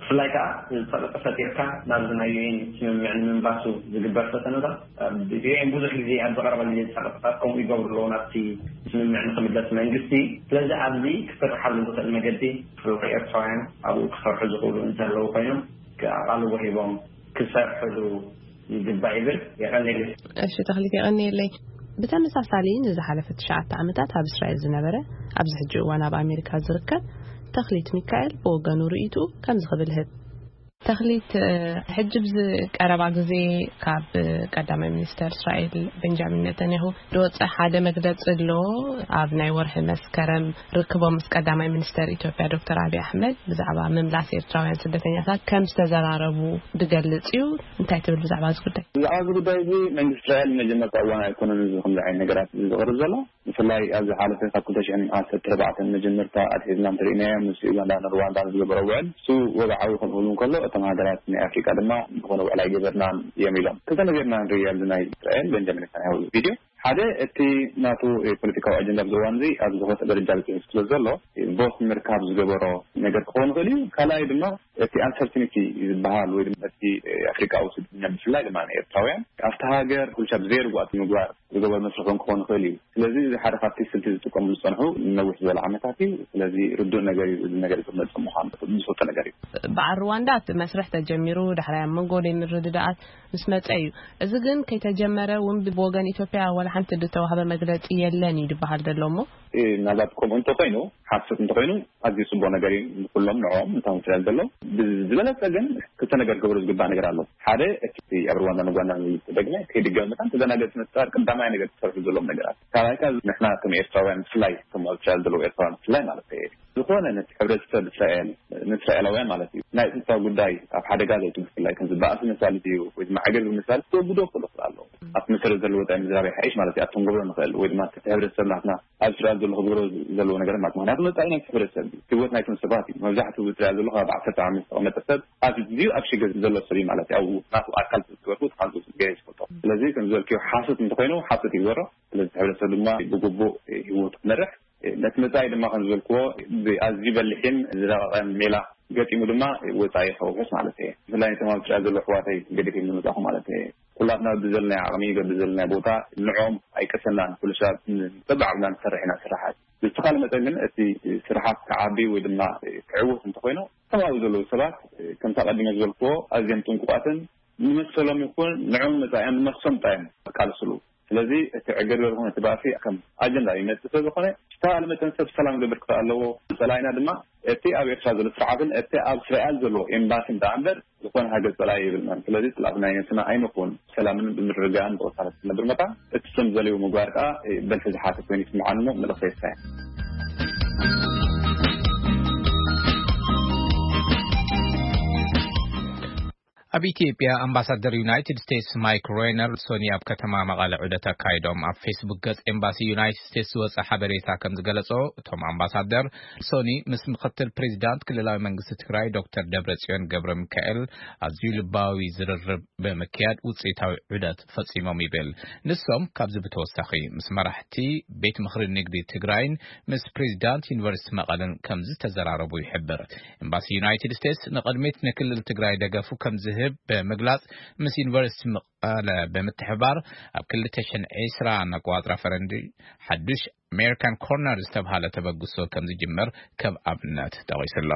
ብፍላይ ከዓ ጸቕጢ ፈጢርካ ናብዚ ናይ ዩ ኤን ስምምዕ ንምንባሱ ዝግበር ፈተነታት፣ ኣብ ዩ ኤን ብዙሕ ግዜ ኣብ ዝቐረበ ግዜ ጸቕጥታት ከምኡ ይገብሩ ኣለዉ ናብቲ ስምምዕ ንክምለስ መንግስቲ። ስለዚ ኣብዚ ክስርሓሉ ዝኽእል መገዲ ብፍላይ ኤርትራውያን ኣብኡ ክሰርሑ ዝኽእሉ እንተለዉ ኮይኖም ኣቓልቦ ሂቦም ክሰርሕሉ ይግባእ ይብል። የቐንየለይ። እሺ ተኽሊት፣ የቐንየለይ። ብተመሳሳሊ ንዝሓለፈ ትሽዓተ ዓመታት ኣብ እስራኤል ዝነበረ፣ ኣብዚ ሕጂ እዋን ኣብ ኣሜሪካ ዝርከብ ተኽሊት ሚካኤል ብወገኑ ርእይትኡ ከምዚ ክብል ህብ። ተኽሊት፣ እ፣ ሕጂ ብዚ ቀረባ ግዜ ካብ ቀዳማይ ሚኒስተር እስራኤል ቤንጃሚን ኔታንያሁ ዝወፀ ሓደ መግለፂ ኣሎ። ኣብ ናይ ወርሒ መስከረም ርክቦም ምስ ቀዳማይ ሚኒስተር ኢትዮጵያ ዶክተር ኣብይ ኣሕመድ ብዛዕባ ምምላስ ኤርትራውያን ስደተኛታት ከም ዝተዘራረቡ ዝገልጽ እዩ። እንታይ ትብል ብዛዕባ እዚ ጉዳይ? ብዛዕባ እዚ ጉዳይ እዚ መንግስቲ እስራኤል መጀመርታ እዋን ኣይኮነን እዚ ከምዚ ዓይነት ነገራት እዚ ዝቕርብ ዘሎ። ብፍላይ ኣብ ዝሓለፈ ካብ ክልተ ሽሕን ዓሰርተ ኣርባዕተን መጀመርታ ኣትሒዝና እንተሪእናዮ ምስ ዩጋንዳን ሩዋንዳን ዝገበሮ ውዕል እሱ ወግዓዊ ክኸውን ከሎ እቶም ሃገራት ናይ ኣፍሪቃ ድማ ዝኾነ ውዕል ኣይገበርናን እዮም ኢሎም። ክልተ ነገር ኢና ንርኢ ኣብዚ ናይ እስራኤል ቤንጃሚን ኔታንያሁ ቪድዮ ሓደ እቲ ናቱ ፖለቲካዊ ኣጀንዳ ኣብዚ እዋን እዚ ኣብ ዝኸፍአ ደረጃ በፂሑ ስለ ዘሎ ቦስ ንምርካብ ዝገበሮ ነገር ክኸውን ይኽእል እዩ። ካልኣይ ድማ እቲ ኣንሰርቲኒቲ ዝበሃል ወይ ድማ እቲ ኣፍሪቃዊ ስደተኛ ብፍላይ ድማ ንኤርትራውያን ኣብቲ ሃገር ኩልሻ ብዘየርጓእቲ ምግባር ዝገበሮ መስርሕ እውን ክኸውን ይኽእል እዩ። ስለዚ እዚ ሓደ ካብቲ ስልቲ ዝጥቀሙ ዝፀንሑ ነዊሕ ዝበለ ዓመታት እዩ። ስለዚ ርዱእ ነገር እዩ። እዚ ነገር ክመፅእ ምዃኑ ዝፈልጦ ነገር እዩ። በዓል ሩዋንዳ እቲ መስርሕ ተጀሚሩ ዳሕራይ ኣብ መንጎ ዘይምርድዳኣት ምስ መጸ እዩ። እዚ ግን ከይተጀመረ እውን ብወገን ኢትዮጵያ ዋላ ሓንቲ ዝተዋህበ መግለጺ የለን እዩ ዝበሃል ዘሎ እሞ። እ፣ ምናልባት ከምኡ እንተኾይኑ፣ ሓሶት እንተኾይኑ ኣዝዩ ጽቡቕ ነገር እዩ። ንኩሎም ንዕኦም ንታውን ስለ ዘሎ፣ ብዝበለጸ ግን ክልተ ነገር ክገብሩ ዝግባእ ነገር ኣሎ። ሓደ፣ እቲ ኣብ ሩዋንዳን ኡጋንዳን ዝተደግመ ከይድገም መታን ተደናገጽ ምፍጣር ቀዳማይ ነገር ክሰርሑ ዘለዎም ነገራት። ካልኣይ ከኣ ንሕና ከም ኤርትራውያን ብፍላይ፣ ከም ኣብ እስራኤል ዘለዉ ኤርትራውያን ብፍላይ ማለት እዩ፣ ዝኾነ ነቲ ሕብረተሰብ እስራኤል፣ ንእስራኤላውያን ማለት እዩ፣ ናይ ጸጥታ ጉዳይ ኣብ ሓደጋ ዘውጽእ ብፍላይ ከም ዝበኣስ መሳልት እዩ፣ ወይ ድማ ዕግርግር መሳልት ክወግዶ ክኽእሉ ይኽእሉ ኣለዉ። ኣብቲ መሰረት ዘለዎ ወጻኢ ምዝራብ ይሓይሽ ማለት እዩ። ኣብቶም ክገብሮ ንኽእል ወይ ድማ እቲ ሕብረተሰብ ናትና ኣብ እስራኤል ዘሎ ክገብሮ ዘለዎ ነገር ማለት፣ ምኽንያቱ ወጻኢ ናይቲ ሕብረተሰብ እዩ፣ ህይወት ናይቶም ሰባት እዩ። መብዛሕትኡ ኣብ እስራኤል ዘሎ ካብ ዓሰርተ ዓመት ዝተቐመጠ ሰብ ኣዝዩ ኣብ ሽግር ዘሎ ሰብ እዩ ማለት እዩ። ኣብኡ ናቱ ኣካል ዝገበርኩ ሓንቱ ገይረ ዝፈልጦ። ስለዚ ከም ዝበልክዮ ሓሶት እንተኾይኑ ሓሶት ይግበሮ። ስለዚ እቲ ሕብረተሰብ ድማ ብግቡእ ህይወቱ ክመርሕ፣ ነቲ መጻኢ ድማ ከም ዝበልክዎ ብኣዝዩ በሊሕን ዝረቐቐን ሜላ ገጢሙ ድማ ወጻኢ ከውሕስ ማለት እየ። ብፍላይ ነቶም ኣብ እስራኤል ዘለዉ ኣሕዋተይ ገዲፈ ዝመጻኹ ማለት እየ። ኩላትና ብዘለናዮ ዓቕሚ፣ ብዘለናዮ ቦታ ንዕኦም ኣይቀሰናን። ኩሉ ሰብ በብዓቕምና ንሰርሕ ኢና ስራሓት። ብዝተኻለ መጠን ግን እቲ ስራሓት ክዓቢ ወይ ድማ ክዕወት እንተኾይኑ፣ ከም ኣብኡ ዘለዉ ሰባት ከምቲ ኣቐዲመ ዝበልክዎ ኣዝዮም ጥንቁቓትን ንመሰሎም ይኹን ንዕኦም መጻኢኦም ንነፍሶም ጥራይ እዮም ዝቃለስሉ። ስለዚ እቲ ዕግርግር ይኹን እቲ ባእሲ ከም ኣጀንዳ ይመጽእ ስለ ዝኾነ፣ ዝተባህለ መጠን ሰብ ሰላም ክገብር ክኽእል ኣለዎ። ጸላኢና ድማ እቲ ኣብ ኤርትራ ዘሎ ስርዓትን እቲ ኣብ እስራኤል ዘሎ ኤምባሲን ደኣ እምበር ዝኾነ ሃገር ጸላኢ የብልናን። ስለዚ ጸላእቲ ናይ ነብስና ኣይንኹን። ሰላምን ብምርግጋእን ብቕሳነት ክነብር መታን እቲ ሰብ ዝደለዮ ምግባር ከኣ በልሒ ዝሓተ ኮይኑ ይስምዓኒ እሞ መልእኽተይ እሳ እያ። ኣብ ኢትዮጵያ ኣምባሳደር ዩናይትድ ስቴትስ ማይክ ሬነር ሶኒ ኣብ ከተማ መቐለ ዑደት ኣካይዶም። ኣብ ፌስቡክ ገጽ ኤምባሲ ዩናይትድ ስቴትስ ዝወጸ ሓበሬታ ከም ዝገለጾ፣ እቶም ኣምባሳደር ሶኒ ምስ ምክትል ፕሬዚዳንት ክልላዊ መንግስቲ ትግራይ ዶክተር ደብረጽዮን ገብረ ሚካኤል ኣዝዩ ልባዊ ዝርርብ ብምክያድ ውጽኢታዊ ዑደት ፈጺሞም ይብል። ንሶም ካብዚ ብተወሳኺ ምስ መራሕቲ ቤት ምኽሪ ንግዲ ትግራይን ምስ ፕሬዚዳንት ዩኒቨርሲቲ መቐለን ከም ዝተዘራረቡ ይሕብር። ኤምባሲ ዩናይትድ ስቴትስ ንቕድሚት ንክልል ትግራይ ደገፉ ከም ዝህብ ብምግላጽ፣ ምስ ዩኒቨርሲቲ መቐለ ብምትሕባር ኣብ ክልተ ሽሕን ዕስራን ኣቆጻጽራ ፈረንጂ ሓዱሽ ኣሜሪካን ኮርነር ዝተብሃለ ተበግሶ ከም ዝጅምር ከም ኣብነት ጠቒሱ ኣሎ።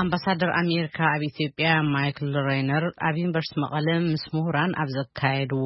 ኣምባሳደር ኣሜሪካ ኣብ ኢትዮጵያ ማይክል ሬነር ኣብ ዩኒቨርሲቲ መቐለ ምስ ምሁራን ኣብ ዘካየድዎ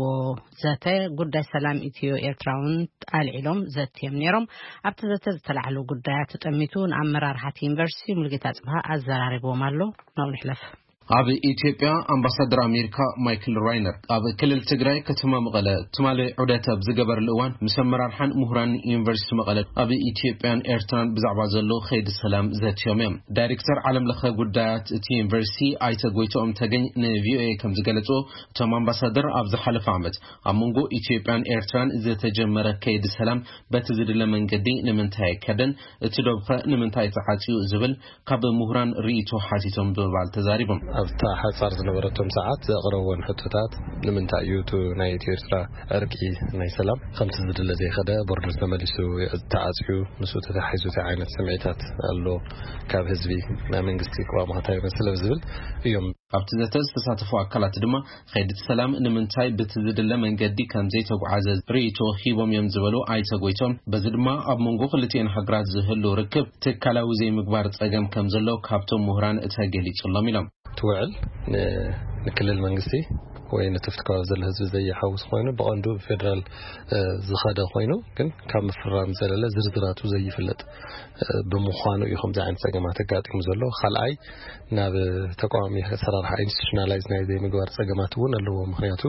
ዘተ፣ ጉዳይ ሰላም ኢትዮ ኤርትራ እውን ኣልዒሎም ዘትዮም ነይሮም። ኣብቲ ዘተ ዝተላዕሉ ጉዳያት ተጠሚቱ ንኣመራርሓ እቲ ዩኒቨርሲቲ ሙሉጌታ ጽብሃ ኣዘራሪብዎም ኣሎ። ናብኡ ንሕለፍ። ኣብ ኢትዮጵያ ኣምባሳደር ኣሜሪካ ማይክል ራይነር ኣብ ክልል ትግራይ ከተማ መቐለ ትማሊ ዑደት ኣብ ዝገበረሉ እዋን፣ ምስ ኣመራርሓን ምሁራን ዩኒቨርሲቲ መቐለ ኣብ ኢትዮጵያን ኤርትራን ብዛዕባ ዘሎ ከይዲ ሰላም ዘትዮም እዮም። ዳይሬክተር ዓለም ለኸ ጉዳያት እቲ ዩኒቨርሲቲ ኣይተ ጎይቶኦም ተገኝ ንቪኦኤ ከም ዝገለጹ፣ እቶም ኣምባሳደር ኣብ ዝሓለፈ ዓመት ኣብ መንጎ ኢትዮጵያን ኤርትራን ዝተጀመረ ከይዲ ሰላም በቲ ዝድለ መንገዲ ንምንታይ ኣይከደን፣ እቲ ዶብኸ ንምንታይ ተዓጽዩ ዝብል ካብ ምሁራን ርእይቶ ሓቲቶም ብምባል ተዛሪቦም። ኣብታ ሓጻር ዝነበረቶም ሰዓት ዘቕረብወን ሕቶታት፣ ንምንታይ እዩ እቲ ናይ ኢትዮ ኤርትራ ዕርቂ ናይ ሰላም ከምቲ ዝድለ ዘይኸደ፣ ቦርደር ተመሊሱ ተዓጽዩ፣ ምስኡ ተተሓሒዙ እንታይ ዓይነት ስምዒታት ኣሎ ካብ ህዝቢ፣ ናይ መንግስቲ ቅዋም እንታይ ይመስል ዝብል እዮም። ኣብቲ ዘተ ዝተሳተፉ ኣካላት ድማ፣ ከይዲ ሰላም ንምንታይ ብቲ ዝድለ መንገዲ ከም ዘይተጓዓዘ ርእይቶ ሂቦም እዮም ዝበሉ ኣይተ ጎይቶም፣ በዚ ድማ ኣብ መንጎ ክልቲኤን ሃገራት ዝህሉ ርክብ ትካላዊ ዘይምግባር ጸገም ከም ዘሎ ካብቶም ምሁራን ተገሊጹሎም ኢሎም። እቲ ውዕል ን-፣ ንክልል መንግስቲ ወይ ነቲ ከባቢ ዘሎ ህዝቢ ዘይሓውስ ኮይኑ፣ ብቐንዱ ብፌደራል፣ እ፣ ዝኸደ ኮይኑ፣ ግን ካብ ምፍራም ዘለለ ዝርዝራቱ ዘይፍለጥ፣ እ፣ ብምዃኑ እዩ ከምዚ ዓይነት ጸገማት ኣጋጢሙ ዘሎ። ካልኣይ፣ ናብ ተቃዋሚ ኣሰራርሓ ኢንስቲቱሽናላይዝ ናይ ዘይምግባር ጸገማት እውን ኣለዎ። ምኽንያቱ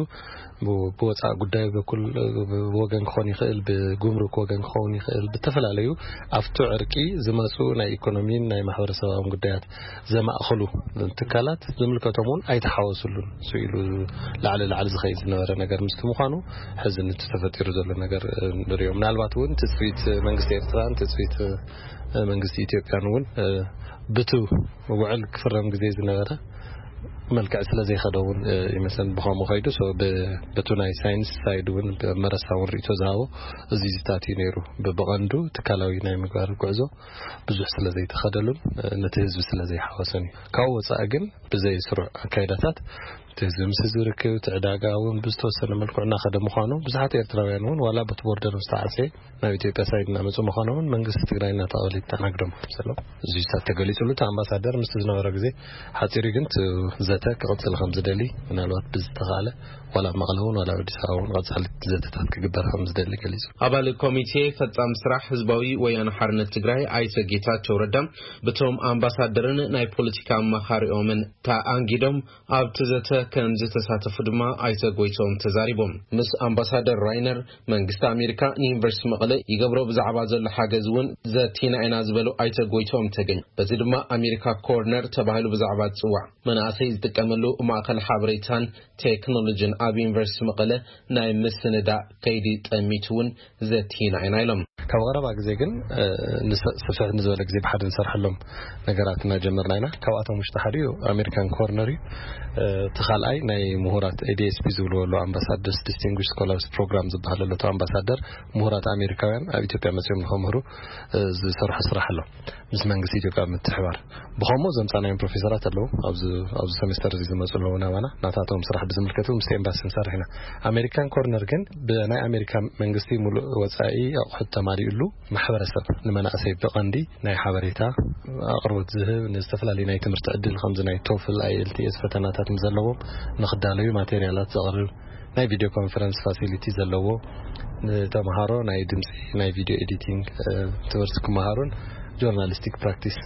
ብ-፣ ብወጻኢ ጉዳይ በኩል፣ ብ-፣ ወገን ክኾን ይኽእል፣ ብጉምሩክ ወገን ክኸውን ይኽእል፣ ብተፈላለዩ ኣብቲ ዕርቂ ዝመጹ ናይ ኢኮኖሚን ናይ ማሕበረሰባውን ጉዳያት ዘማእኸሉ ትካላት ዝምልከቶም እውን ኣይተሓወሱሉን። ስኢሉ ላዕሊ ላዕሊ ዝኸይድ ዝነበረ ነገር ምስቲ ምዃኑ፣ ሕዚ ነቲ ተፈጢሩ ዘሎ ነገር፣ እ፣ ንሪኦ። ምናልባት እውን ትጽቢት መንግስቲ ኤርትራን ትጽቢት፣ እ፣ መንግስቲ ኢትዮጵያን እውን፣ እ፣ ብቲ ውዕል ክፍረም ግዜ ዝነበረ መልክዕ ስለ ዘይኸደ እውን፣ እ፣ ይመስለኒ ብኸምኡ ከይዱ። ሶ ብ-፣ በቱ ናይ ሳይንስ ሳይድ እውን ብመረሳ እውን ርእይቶ ዝሃቦ እዚ ዝታት እዩ ነይሩ። ብ-፣ ብቐንዱ ትካላዊ ናይ ምግባር ጉዕዞ ብዙሕ ስለ ዘይተኸደሉን፣ እ፣ ነቲ ህዝቢ ስለ ዘይሓወሰን እዩ። ካብኡ ወጻኢ ግን ብዘይ ስሩዕ ኣካይዳታት እቲ ህዝቢ ምስ ህዝቢ ርክብ፣ እቲ ዕዳጋ እውን ብዝተወሰነ መልክዑ እናኸደ ምዃኑ፣ ብዙሓት ኤርትራውያን እውን ዋላ በቲ ቦርደር ምስ ተዓጽየ ናብ ኢትዮጵያ ሳይድ እናመጹ ምዃኖምን መንግስቲ ትግራይ እናተቐበለ ይተኣናግዶም ከም ዘሎ እዚ ዝታት ተገሊጹሉ። እቲ ኣምባሳደር ምስቲ ዝነበሮ ግዜ ሓጺሩ ግን እቲ ዘተ ክቕጽል ከም ዝደሊ፣ ምናልባት ብዝተኻእለ ዋላ ኣብ መቐለ እውን ዋላ ኣብ ኣዲስ ኣበባ እውን ቀጻሊ ዘተታት ክግበር ከም ዝደሊ ገሊጹ። ኣባል ኮሚቴ ፈጻሚ ስራሕ ህዝባዊ ወያነ ሓርነት ትግራይ ኣይተ ጌታቸው ረዳ ብቶም ኣምባሳደርን ናይ ፖለቲካ ኣማኻሪኦምን ተኣንጊዶም ኣብቲ ዘተ ከም ዝተሳተፉ ድማ ኣይተ ጎይቶም ተዛሪቦም። ምስ ኣምባሳደር ራይነር መንግስቲ ኣሜሪካ ንዩኒቨርሲቲ መቐለ ይገብሮ ብዛዕባ ዘሎ ሓገዝ እውን ዘቲና ኢና ዝበሉ ኣይተ ጎይቶም ተገኝ፣ በዚ ድማ ኣሜሪካ ኮርነር ተባሂሉ ብዛዕባ ዝጽዋዕ መናእሰይ ዝጥቀመሉ ማእኸል ሓበሬታን ቴክኖሎጂን ኣብ ዩኒቨርሲቲ መቐለ ናይ ምስንዳእ ከይዲ ጠሚቱ እውን ዘቲና ኢና ኢሎም። ካብ ቀረባ ግዜ ግን፣ እ፣ ንስ-፣ ስፍሕ ንዝበለ ግዜ ብሓደ ንሰርሐሎም ነገራት እናጀመርና ኢና። ካብኣቶም ውሽጢ ሓደ እዩ ኣሜሪካን ኮርነር እዩ። እ፣ እቲ ካልኣይ ናይ ምሁራት ኤ ዲ ኤስ ፒ ዝብልዎ ኣሎ፣ ኣምባሳደርስ ዲስቲንጉሽ ስኮላርስ ፕሮግራም ዝበሃል ኣሎ። እቲ ኣምባሳደር ምሁራት ኣሜሪካውያን ኣብ ኢትዮጵያ መጺኦም ንኸምህሩ፣ እ፣ ዝሰርሖ ስራሕ ኣሎ። ምስ መንግስቲ ኢትዮጵያ ምትሕባር። ብኸምኡ ዘምጻናዮም ፕሮፌሰራት ኣለዉ። ኣብዚ፣ ኣብዚ ሰሜስተር እዚ ዝመጹ ኣለዉ ናባና። ናታቶም ስራሕ ብዝምልከት እውን ምስ ኤምባሲ ንሰርሕ ኢና። ኣሜሪካን ኮርነር ግን ብናይ ኣሜሪካ መንግስቲ ሙሉእ ወጻኢ ኣቑሑት ተማሊኡሉ ማሕበረሰብ ንመናእሰይ ብቐንዲ ናይ ሓበሬታ ኣቕርቦት ዝህብ፣ ንዝተፈላለዩ ናይ ትምህርቲ ዕድል ከምዚ ናይ ቶፍል፣ ኣይ ኤል ቲ ኤስ ፈተናታት ምስ ዘለዎም ንኽዳለዩ ማቴሪያላት ዘቕርብ፣ ናይ ቪድዮ ኮንፈረንስ ፋሲሊቲ ዘለዎ፣ ንተምሃሮ ናይ ድምፂ፣ ናይ ቪድዮ ኤዲቲንግ፣ እ፣ ትምህርቲ ክመሃሩን ጆርናሊስቲክ ፕራክቲስ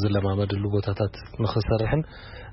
ዝለማመድሉ ቦታታት ንኽሰርሕን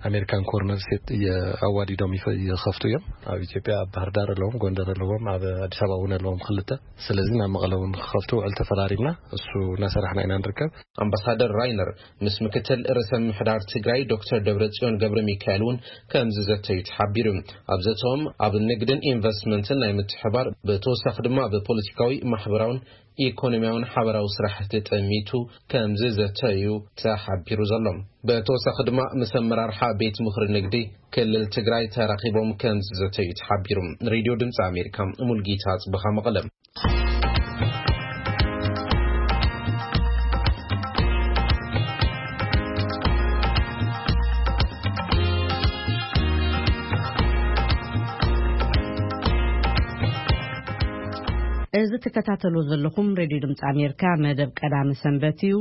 ኣሜሪካን ኮርነር ሴት እየ-፣ ኣዋዲዶም ይፈ-፣ ይኸፍቱ እዮም። ኣብ ኢትዮጵያ ኣብ ባህር ዳር ኣለዎም፣ ጎንደር ኣለዎም፣ ኣብ ኣዲስ ኣበባ እውን ኣለዎም ክልተ። ስለዚ ናብ መቐለ እውን ክኸፍቱ ውዕል ተፈራሪምና፣ እሱ እናሰራሕና ኢና ንርከብ። ኣምባሳደር ራይነር ምስ ምክትል ርእሰ ምምሕዳር ትግራይ ዶክተር ደብረጽዮን ገብረ ሚካኤል እውን ከም ዝዘተዩ ተሓቢሩ። ኣብ ዘተኦም ኣብ ንግድን ኢንቨስትመንትን ናይ ምትሕባር፣ ብተወሳኺ ድማ ብፖለቲካዊ፣ ማሕበራውን ኢኮኖሚያውን ሓበራዊ ስራሕቲ ጠሚቱ ከም ዝዘተዩ ተሓቢሩ ዘሎ። ብተወሳኺ ድማ ምስ ኣመራርሓ ቤት ምኽሪ ንግዲ ክልል ትግራይ ተራኺቦም ከም ዝዘተዩ ተሓቢሩ። ሬድዮ ድምፂ ኣሜሪካ፣ ሙልጌታ ጽበኻ፣ መቐለ። እዚ ትከታተሉ ዘለኹም ሬድዮ ድምፂ ኣሜሪካ መደብ ቀዳሚ ሰንበት እዩ።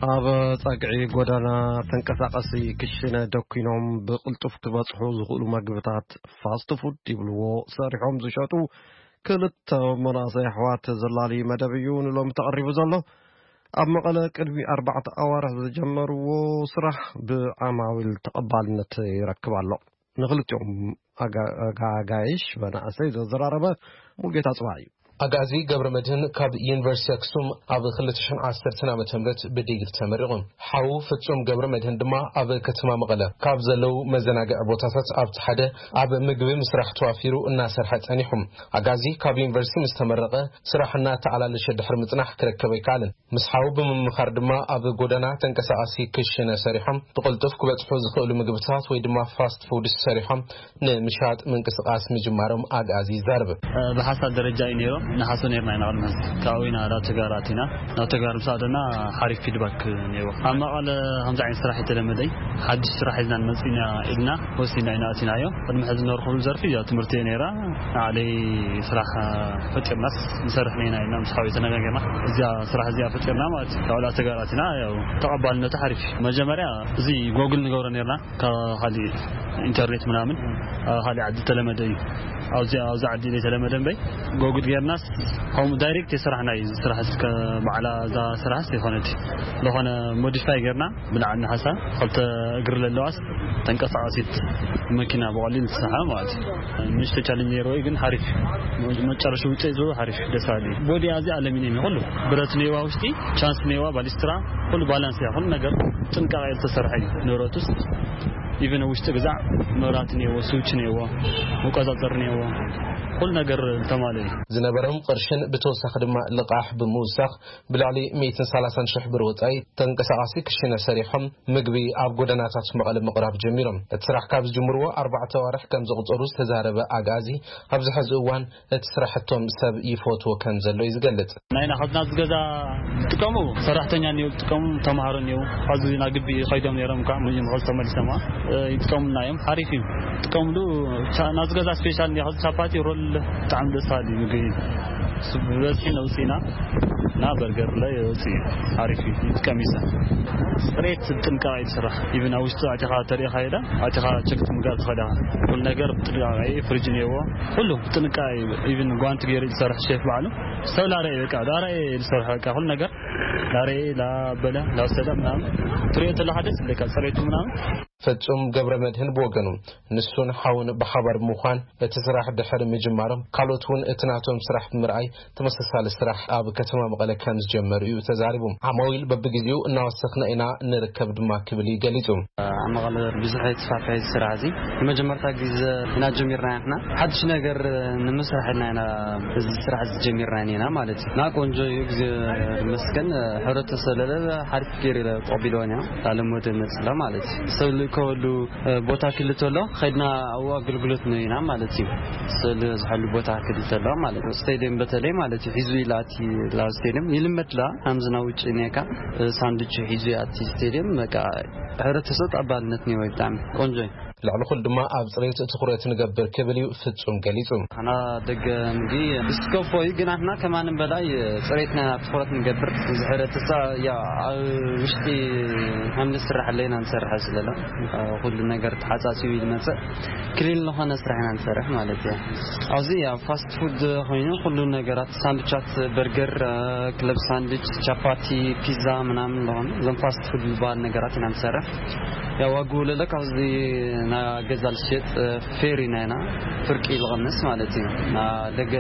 ኣብ ጸግዒ ጎደና ተንቀሳቐሲ ክሽነ ደኲኖም ብቕልጡፍ ክበጽሑ ዝኽእሉ መግብታት ፋስት ፉድ ይብልዎ ሰሪሖም ዝሸጡ ክልተ መናእሰይ ኣሕዋት ዘላሊ መደብ እዩ ንሎሚ ተቐሪቡ ዘሎ። ኣብ መቐለ ቅድሚ ኣርባዕተ ኣዋርሕ ዝጀመርዎ ስራሕ ብዓማዊል ተቐባልነት ይረክብ ኣሎ። ንኽልቲኦም ኣጋ-፣ ኣጋጋይሽ መናእሰይ ዘዘራረበ ሙልጌታ ጽባሕ እዩ። ኣግኣዚ ገብረ መድህን ካብ ዩኒቨርሲቲ ኣክሱም ኣብ ክልተ ሽሕን ዓሰርተን ዓመተ ምህረት ብዲግሪ ተመሪቑ። ሓዉ ፍጹም ገብረ መድህን ድማ ኣብ ከተማ መቐለ ካብ ዘለዉ መዘናግዒ ቦታታት ኣብቲ ሓደ ኣብ ምግቢ ምስራሕ ተዋፊሩ እናሰርሐ ጸኒሑ። ኣግኣዚ ካብ ዩኒቨርሲቲ ምስ ተመረቐ ስራሕ እናተኣላለሸ ድሕሪ ምጽናሕ ክረከብ ኣይከኣለን። ምስ ሓዉ ብምምኻር ድማ ኣብ ጎደና ተንቀሳቓሲ ክሽነ ሰሪሖም ብቕልጡፍ ክበጽሑ ዝኽእሉ ምግብታት ወይ ድማ ፋስት ፉድ ሰሪሖም ንምሻጥ ምንቅስቓስ ምጅማሮም ኣግኣዚ ይዛረብ። ብሓሳብ ደረጃ እዩ ነይሩ። ንሓሶ ነይርና ኢና ቅድሚ ሕዚ። ካብኡ ኢና ናብ ተግባር ኣቲና። ናብ ተግባር ምስ ኣተና ሓሪፍ ፊድባክ ነይሩ። ኣብ መቐለ ከምዚ ዓይነት ስራሕ የተለመደ እዩ። ሓድሽ ስራሕ ሒዝና ንመጽእ ኢና ኢልና ወሲና ኢና ኣቲናዮ። ቅድሚ ሕዚ ነርክብሉ ዘርፊ ያው ትምህርቲ እዩ ነይራ። ንዓለይ ስራሕ ፈጢርናስ ንሰርሕ ነይና ኢልና ምስ ሓወይ ተነጋገርና። እዚኣ ስራሕ እዚኣ ፈጢርና ማለት እዩ። ካብ ላዕሊ ተጋራት ኢና፣ ያው ተቐባልነቱ ሓሪፍ እዩ። መጀመርያ እዚ ጎግል ንገብሮ ነይርና፣ ካብ ካሊእ ኢንተርኔት ምናምን፣ ኣብ ካሊእ ዓዲ ተለመደ እዩ። ኣብዚ፣ ኣብዚ ዓዲ ዘይተለመደ እምበይ፣ ጎግል ጌርናስ ከምኡ ዳይሬክት የስራሕና እዩ። እዚ ስራሕ እስከ ባዕላ እዛ ስራሕስ ይኾነት ዝኾነ ሞዲፋይ ጌርና ብላዕሊ ንሓሳብ ክልተ እግሪ ዘለዋስ ተንቀሳቐሲት መኪና ብቐሊሉ ትስራሕ ማለት እዩ። ንእሽቶ ቻሌንጅ ነይርዎ እዩ፣ ግን ሓሪፍ እዩ። መጨረሻ ውፅኢቱ ሓሪፍ እዩ፣ ደስ በሃሊ እዩ። ቦዲ ኣዚ ኣለሚንየም እዩ፣ ኩሉ ብረት ነይዋ፣ ውሽጢ ቻንስ ነይዋ፣ ባሊስትራ፣ ኩሉ ባላንስ እያ፣ ኩሉ ነገር ጥንቃቐ ዝተሰርሐ እዩ። ንብረቱስ ኢቨን ውሽጢ ግዛዕ መብራት ነይዎ፣ ስዊች ነይዎ፣ መቆፃፀሪ ነይዎ፣ ኩሉ ነገር ዝተማልአ እዩ። ዝነበሮም ቅርሽን ብተወሳኺ ድማ ልቓሕ ብምውሳኽ ብልዕሊ ሚእትን ሰላሳን ሽሕ ብር ወጻኢ ተንቀሳቓሲ ክሽነ ሰሪሖም ምግቢ ኣብ ጎደናታት መቐለ ምቕራብ ጀሚሮም። እቲ ስራሕ ካብ ዝጅምርዎ ኣርባዕተ ኣዋርሕ ከም ዘቑጸሩ ዝተዛረበ ኣግኣዚ፣ ኣብዚ ሕዚ እዋን እቲ ስራሕቶም ሰብ ይፈትዎ ከም ዘሎ እዩ ዝገልጽ። ናይና ካብዚ ናብዚ ገዛ ዝጥቀሙ ሰራሕተኛ እኒኦ፣ ዝጥቀሙ ተምሃሮ እኒኦ። ኣብዚ ናብ ግቢ ከይዶም ነይሮም ከዓ ምጅም ከዚ ተመሊሶም፣ እ፣ ይጥቀሙልና እዮም። ሓሪፍ እዩ። ይጥቀምሉ። ቻ-፣ ናብዚ ገዛ ስፔሻል እኒኦ፣ ከዚ ቻፓቲ ሮል ብጣዕሚ ደስ በሃሊ ምግቢ እዩ። እሱ ብበዝሒ ነውፅእና እና በርገር ላይ የውፅእ እዩ። ሓሪፍ እዩ። ይጥቀም እዩ ሰብ። ፅሬት ብጥንቃቐ እዩ ዝስራሕ። ኢቭን ኣብ ውሽጢ ኣቲኻ ተሪኢኻ ሄዳ፣ ኣቲኻ ቸክ ምግባር ትኽእል ኢኻ። ኩሉ ነገር ብጥንቃቐ እዩ። ፍሪጅ እኒኦዎ። ኩሉ ብጥንቃቐ እዩ። ኢቭን ጓንቲ ገይሩ ዝሰርሕ ሼፍ ባዕሉ። ሰብ ላረየ በቃ፣ ላረየ ዝሰርሕ በቃ፣ ኩሉ ነገር ላረየ፣ ላበለ፣ ላሰለ ምናምን። ትሪኦ ተለኻ ደስ ይብለካ፣ ፅሬቱ ምናምን። ፍጹም ገብረ መድህን ብወገኑ፣ ንሱን ሓውን ብሓባር ብምዃን እቲ ስራሕ ድሕሪ ምጅማሮም፣ ካልኦት እውን እቲ ናቶም ስራሕ ብምርኣይ ተመሳሳሊ ስራሕ ኣብ ከተማ መቐለ ከም ዝጀመሩ እዩ ተዛሪቡ። ዓማዊል በብግዜኡ እናወሰኽና ኢና ንርከብ ድማ ክብል እዩ ገሊጹ። ኣብ መቐለ ብዙሕ የተስፋፍሐ እዚ ስራሕ እዚ ንመጀመርታ ግዜ ኢና ጀሚርና ኢና። ሓድሽ ነገር ንምስራሕ ኢልና ኢና እዚ ስራሕ እዚ ጀሚርና ኢና ማለት እዩ። እና ቆንጆ እዩ፣ ግዜ ይመስገን። ሕብረተሰብ ለለ ሓሪፍ ገይሩ ተቐቢልዎ ኢና። ላለሞደ መፅላ ማለት እዩ። ሰብ ልእከበሉ ቦታ ክልተ ኣሎ፣ ከይድና ኣብኡ ኣገልግሎት ንህብ ኢና ማለት እዩ። ስእሊ ዝሕሉ ቦታ ክልተ ኣሎ ማለት እዩ። ስቴድየም በተለይ ማለት እዩ፣ ሒዙ ኢላ እቲ ላ ስቴድየም ይልመድ ላ፣ ከምዚ ናብ ውጭ ኔካ ሳንዱች ሒዙ ኣቲ ስቴድየም፣ በቃ፣ ሕብረተሰብ ተቐባልነት ነይዎ ብጣዕሚ ቆንጆ እዩ። ልዕሊ ኩሉ ድማ ኣብ ፅሬት ትኹረት ንገብር ክብል እዩ ፍጹም ገሊጹ። ኣና ደገ እንዲ ስከፎ እዩ፣ ግን ኣትና ከማንም በላይ ፅሬትና ትኹረት ንገብር። ዝሕረትሳ ያ ኣብ ውሽጢ ሓምሊ ስራሕ ኣለና ንሰርሕ ስለለ ኩሉ ነገር ተሓጻጺቡ ይመጽእ። ክሊን ዝኾነ ስራሕ ኢና ንሰርሕ ማለት እዩ። ኣብዚ ያው ፋስት ፉድ ኮይኑ ኩሉ ነገራት ሳንድቻት፣ በርገር፣ ክለብ ሳንድች፣ ቻፓቲ፣ ፒዛ ምናምን ዝኾኑ እዞም ፋስት ፉድ ዝበሃል ነገራት ኢና ንሰርሕ። ያው ዋግኡ ለለ ካብዚ ና ገዛ ልሸጥ ፌሪ ናይና ፍርቂ ዝቐንስ ማለት እዩ። ና ደገ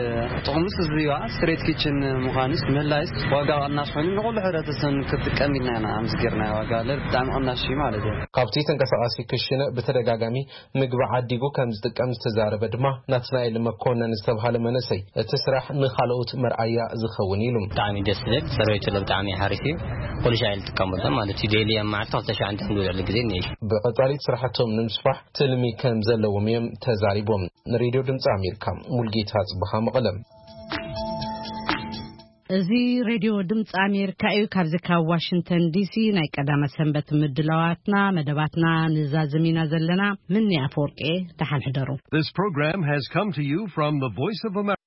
ጥቕምስ እዚ ዋ ስትሬት ኪችን ምዃንስ ምህላይስ ዋጋ ቐናሽ ኮይኑ ንኹሉ ሕብረተሰብ ክጥቀም ኢልና ኢና ኣምስጌርና ዋጋ ለል ብጣዕሚ ቐናሽ እዩ ማለት እዩ። ካብቲ ተንቀሳቓሲ ክሽነ ብተደጋጋሚ ምግቢ ዓዲጉ ከም ዝጥቀም ዝተዛረበ ድማ ናትናኤል መኮነን ዝተባሃለ መንእሰይ፣ እቲ ስራሕ ንኻልኦት መርኣያ ዝኸውን ኢሉ። ብጣዕሚ ደስ ዝብል ፅሬቱ ለ ብጣዕሚ ሓሪፍ እዩ። ኩሉ ሻዕ ንጥቀመሎም ማለት እዩ። ዴሊ ኣብ መዓልቲ ክልተ ሻዕ ንድዕሉ ግዜ እኒአ። ብቐፃሊት ስራሕቶም ንምስፋሕ ትልሚ ከም ዘለዎም እዮም ተዛሪቦም። ንሬድዮ ድምፂ ኣሜሪካ ሙልጌታ ጽብሃ መቐለም። እዚ ሬድዮ ድምፂ ኣሜሪካ እዩ። ካብዚ ካብ ዋሽንግተን ዲሲ ናይ ቀዳመ ሰንበት ምድላዋትና መደባትና ንዛዝም ኢና ዘለና። ምኒ ኣፈወርቂ ደሓን ሕደሩ። This program has come to you from the Voice of America.